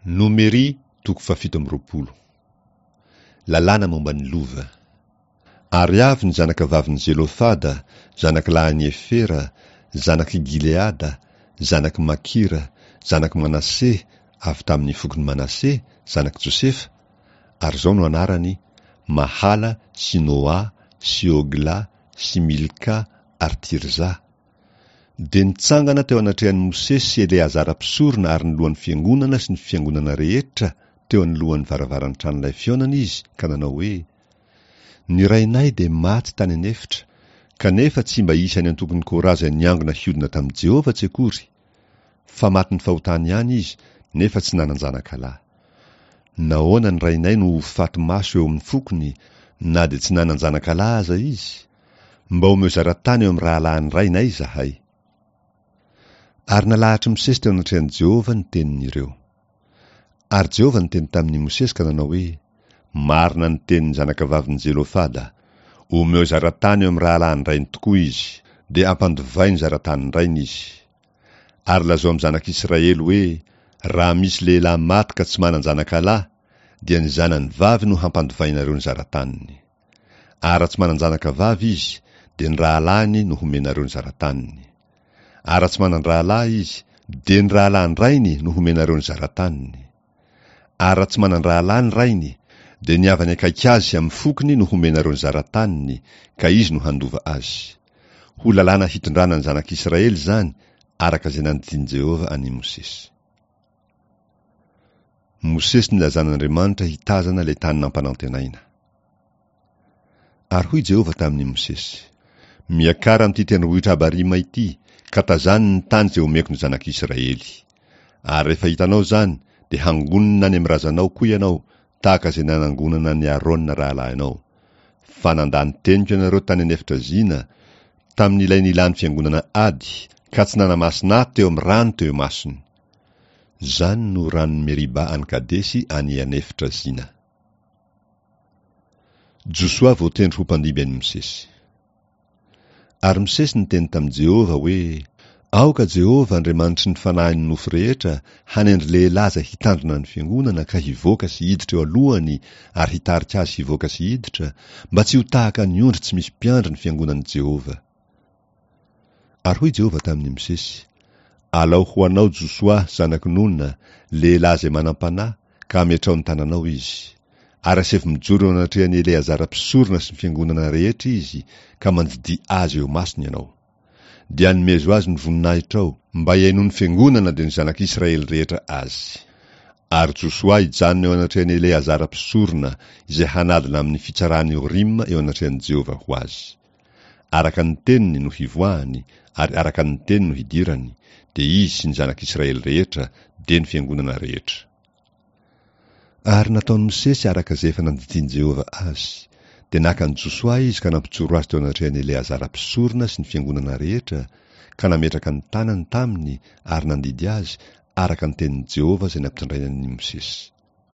Nomery toko fahafito amby 20. Lalàna momba ny lova. Ary avy ny zanakavavin'i Zelofada, zanakilahin'i Hefera, zanak'i Gileada, zanak'i Makira, zanak'i Manase, avy tamin'ny fokon'i Manase, zanak'i Josefa, ary izao no anarany, Mahala sy Noa sy Hogla sy Milka ary Tirza. Dia nitsangana teo anatrehan'i Mosesy sy Eleazara mpisorona ary ny lohan'ny fiangonana sy ny fiangonana rehetra teo anoloan'ny varavaran'ny tranolay fihaonana izy ka nanao hoe, Ny rainay dia maty tany an'efitra, kanefa tsy mba isan'ny antokon'i Kora izay niangona hiodina tamin'i Jehovah tsy akory, fa matin'ny fahotany ihany izy, nefa tsy nanan-janakalahy. Nahoana ny rainay no ho faty maso eo amin'ny fokony, na dia tsy nanan-janakalahy aza izy? Mba omeo zara-tany eo amin'ny rahalahin'ny rainay izahay. Ary nalahatr'i Mosesy teo anatrehan'i Jehovah ny tenin'ireo. Ary Jehovah niteny tamin'i Mosesy ka nanao hoe, Marina ny tenin'ny zanakavavin'i Zelofada. Omeo zara-tany eo amin'ny rahalahin-drainy tokoa izy, dia ampandovay ny zara-tanin-drainy izy. Ary lazao amin'ny zanak'Israely hoe, Raha misy lehilahy maty ka tsy manan-janakalahy, dia ny zanany vavy no hampandovainareo ny zara-taniny. Ary raha tsy manan-janaka vavy izy, dia ny rahalahiny no homenareo ny zara-taniny. Ary raha tsy manan-drahalahy izy, dia ny rahalahin-drainy no homenareo ny zara-taniny. Ary raha tsy manan-drahalahy ny rainy, dia ny havany akaiky azy sy amin'ny fokony no homenareo ny zara-taniny, ka izy no handova azy. Ho lalàna hitondrana ny zanak'Israely izany, araka izay nandidian'i Jehovah an'i Mosesy. Mosesy nilazan'Andriamanitra hitazana ilay tany nampanantenaina. Ary hoy Jehovah tamin'i Mosesy, Miakara amin'ity tendrombohitra Abarima ity, ka tazano ny tany izay omeko ny zanak'Israely. Ary rehefa hitanao izany, dia hangonina any amin'ny razanao koa ianao, tahaka izay nanangonana an'i Arona rahalahinao. Fa nandà ny teniko ianareo tany an'efitra Zina, tamin'ilay nilàn'ny fiangonana ady, ka tsy nanamasina ahy teo amin'ny rano teo imasony. Izany no ranon'i Meriba any Kadesy any an'efitra Zina. Josoa voatendry ho mpandimby an'i Mosesy. Ary Mosesy niteny tamin'i Jehovah hoe, Aoka Jehovah, Andriamanitry ny fanahin'ny nofo rehetra, hanendry lehilahy izay hitandrina ny fiangonana ka hivoaka sy hiditra eo alohany ary hitarika azy hivoaka sy hiditra, mba tsy ho tahaka ny ondry tsy misy mpiandry ny fiangonan'i Jehovah. Ary hoy Jehovah tamin'i Mosesy, Alao ho anao Josoa, zanak'i Nona, lehilahy izay manam-panahy, ka ametraho ny tananao izy. Ary asaivo mijoro eo anatrehan'i Eleazara mpisorona sy ny fiangonana rehetra izy, ka mandidia azy eo imasony ianao. Dia anomezo azy ny voninahitrao, mba hihainoan'ny fiangonana dia ny zanak'Israely rehetra azy. Ary Josoa hijanona eo anatrehan'i Eleazara mpisorona, izay hanadina amin'ny fitsaran'i Orima eo anatrehan'i Jehovah ho azy. Araka ny teniny no hivoahany, ary araka ny teny no hidirany, dia izy sy ny zanak'Israely rehetra, dia ny fiangonana rehetra. Ary nataon'i Mosesy araka izay efa nandidian'i Jehovah azy. Dia naka an'i Josoa izy ka nampijoro azy teo anatrehan'i Eleazara mpisorona sy ny fiangonana rehetra, ka nametraka ny tanany taminy ary nandidy azy araka ny tenin'i Jehovah izay nampitondrainy an'i Mosesy.